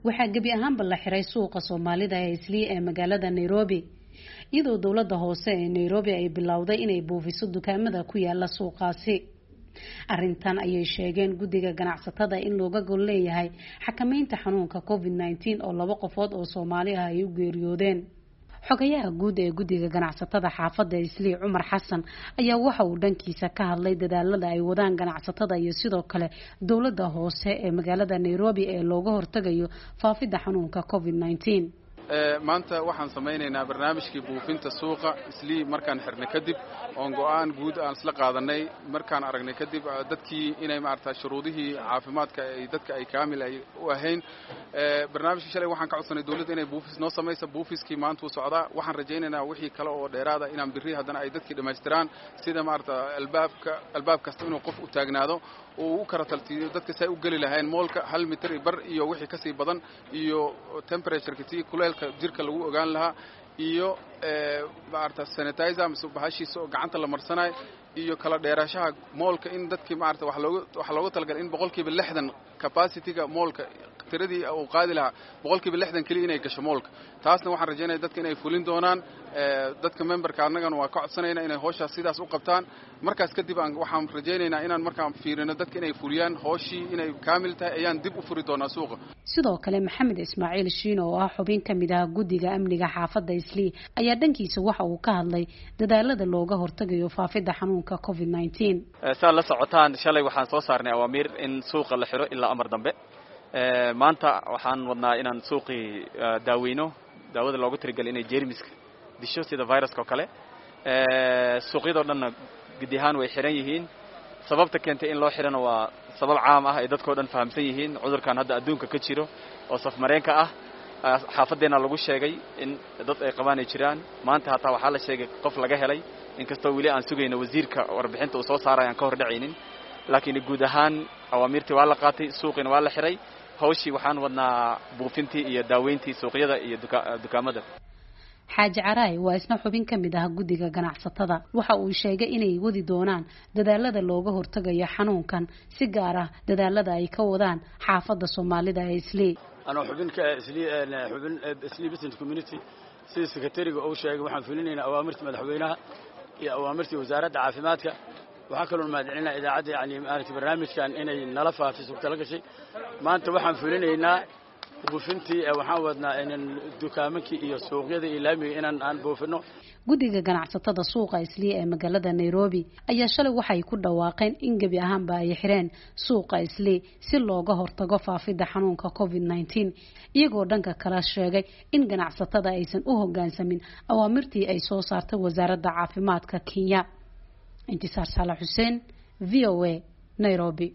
Waxaa gebi ahaanba la xiray suuqa Soomaalida ee Islii ee magaalada Nairobi, iyadoo dowladda hoose ee Nairobi ay bilowday inay buufiso dukaamada ku yaala suuqaasi. Arrintan ayay sheegeen guddiga ganacsatada in looga gol leeyahay xakameynta xanuunka COVID-19 oo 2 qofood oo Soomaali ah ay u geeriyoodeen. Xogayaha guud ee guddiga ganacsatada xaafadda Islii, Cumar Xasan, ayaa waxa uu dhankiisa ka hadlay dadaalada ay wadaan ganacsatada iyo sidoo kale dowladda hoose ee magaalada Nairobi ee looga hortagayo faafidda xanuunka COVID-19. Maanta waxaan samaynaynaa barnaamijkii buufinta suuqa Islii markaan xirnay kadib, oon go'aan guud aan isla qaadanay markaan aragnay kadib dadkii inay maarata shuruudihii caafimaadka ay dadka ay kaamil ay u ahayn. Barnaamijkii shalay waxaan ka codsanay dawladda inay buufis noo samayso. Buufiskii maanta wuu socdaa. Waxaan rajaynaynaa wixii kale oo dheeraada inaan birri haddana ay dadkii dhammaystiraan, sida maarata albaab kasta inuu qof u taagnaado uu u kala taltiiyo dadka si ay u geli lahayn moolka 1 mitir bar iyo wixii kasii badan, iyo temperatureka tii kuleelka jirka lagu ogaan lahaa, iyo maarata sanitizer mise bahashiisa oo gacanta la marsanayo, iyo kala dheerashaha moolka in dadkii maarata waxa loogu talagalay in 60% capacity-ga moolka tiradii uu qaadi lahaa 60% keliya inay gasho moolka. Taasna waxaan rajaynaya dadka inay fulin doonaan. Dadka memberka annagana waa ka codsanayna inay howshaas sidaas u qabtaan. Markaas kadib waxaan rajaynaynaa inaan markaan fiirino dadka inay fuliyaan howshii inay kaamil tahay ayaan dib u furi doonaa suuqa. Sidoo kale Maxamed Ismaaciil Shiino oo ah xubin ka mid ah guddiga amniga xaafadda Islii ayaa dhankiisa waxa uu ka hadlay dadaalada looga hortagayo faafidda xanuunka COVID-19. Saa la socotaan, shalay waxaan soo saarnay awaamiir in suuqa la xiro ilaa amar dambe. Maanta waxaan wadnaa inaan suuqii daaweyno, daawada loogu talagalay inay jeermiska disho sida viruska oo kale. Suuqyadoo dhanna gudi ahaan way xiran yihiin. Sababta keentay in loo xirana waa sabab caam ah ay dadkoo dhan fahamsan yihiin. Cudurkan hadda adduunka ka jiro oo safmareenka ah, xaafaddeena lagu sheegay in dad ay qabaan ay jiraan. Maanta hataa waxaa la sheegay qof laga helay, inkastoo weli aan sugayno wasiirka warbixinta uu soo saarayo aan ka hor dhacaynin. Laakiin guud ahaan awaamiirtii waa la qaatay, suuqiina waa la xiray. Hawshii waxaan wadnaa buufintii iyo daaweyntii suuqyada iyo dukaamada. Xaaji Caraay waa isna xubin ka mid ah guddiga ganacsatada. Waxa uu sheegay inay wadi doonaan dadaalada looga hortagayo xanuunkan, si gaar ah dadaalada ay ka wadaan xaafadda Soomaalida ee Islii. Anoo xubin ka Islii, xubin Islii Business Community, sida sekretariga uu sheegay, waxaan fulinaynaa awaamirta madaxweynaha iyo awaamirtii wasaaradda caafimaadka. Waxaa kaloo mahadcelinaa idaacadda, yani maaragtay barnaamijkan inay nala faafiso tala gashay. Maanta waxaan fulinaynaa buufintii, waxaan wadnaa inaan dukaamankii iyo suuqyada iyo laamiga inaan aan buufino. Guddiga ganacsatada suuqa Islii ee magaalada Nairobi ayaa shalay waxay ku dhawaaqeen in gebi ahaanba ay xireen suuqa Islii si looga hortago faafidda xanuunka COVID-19, iyagoo dhanka kala sheegay in ganacsatada aysan u hoggaansamin awaamirtii ay soo saartay wasaaradda caafimaadka Kenya. Intisaar Saalax Xuseen, VOA, Nairobi.